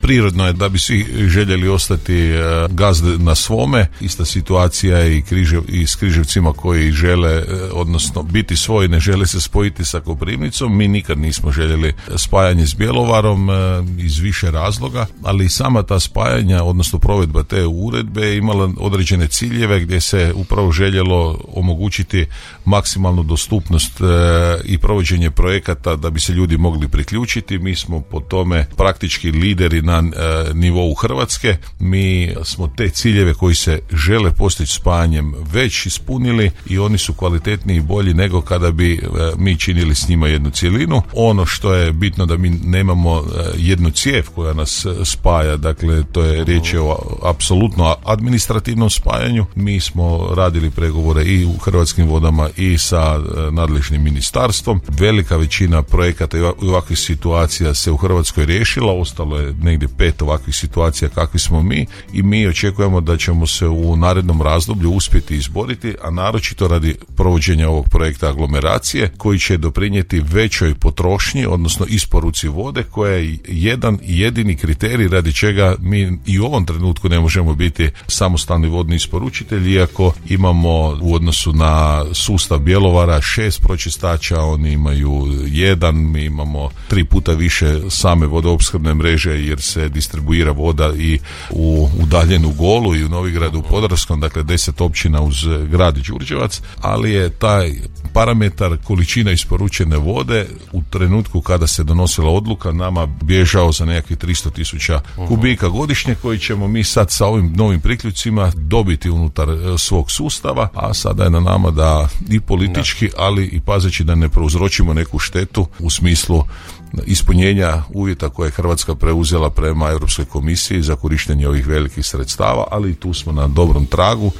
prirodno je da bi svi željeli ostati gazde na svome. Ista situacija je i s Križevcima koji žele, odnosno biti svoji, ne žele se spojiti sa Koprivnicom. Mi nikad nismo željeli spajanje s Bjelovarom iz više razloga, ali i sama ta spajanja, odnosno provedba te uredbe je imala određene ciljeve gdje se upravo željelo omogućiti maksimalnu dostupnost i provođenje projekata da bi se ljudi mogli priključiti. Mi smo po tome praktički lideri na nivou Hrvatske. Mi smo te ciljeve koji se žele postići spajanjem već ispunili i oni su kvalitetniji i bolji nego kada bi mi činili s njima jednu cjelinu. Ono što je bitno da mi nemamo jednu cijev koja nas spaja, dakle to je riječ o apsolutno administrativnom spajanju. Mi smo radili pregovore i u Hrvatskim vodama i sa nadležnim ministarstvom. Velika većina projekata i ovakvih situacija se u Hrvatskoj riješila, ostalo je negdje 5 ovakvih situacija kakvi smo mi i mi očekujemo da ćemo se u narednom razdoblju uspjeti izboriti, a naročito radi provođenja ovog projekta aglomeracije koji će doprinijeti većoj potrošnji, odnosno isporuci vode koja je jedan jedini kriterij radi čega mi i u ovom trenutku ne možemo biti samostalni vodni isporučitelj, iako imamo u odnosu na sustav Bjelovara 6 pročistača, oni imaju 1, mi imamo 3 puta više same vodoopskrbne mreže jer se distribuira voda i u udaljenu Golu i u Novigradu u Podravskom, dakle 10 općina uz grad Đurđevac, ali je taj parametar količina isporučene vode u trenutku kada se donosila odluka nama bježao za nekakvih 300.000 kubika godišnje koji ćemo mi sad sa ovim novim priključcima dobiti unutar svog sustava, a sada je na nama da i politički, ali i pazeći da ne prouzročimo neku štetu u smislu ispunjenja uvjeta koje je Hrvatska preuzela prema Europskoj komisiji za korištenje ovih velikih sredstava, ali tu smo na dobrom tragu.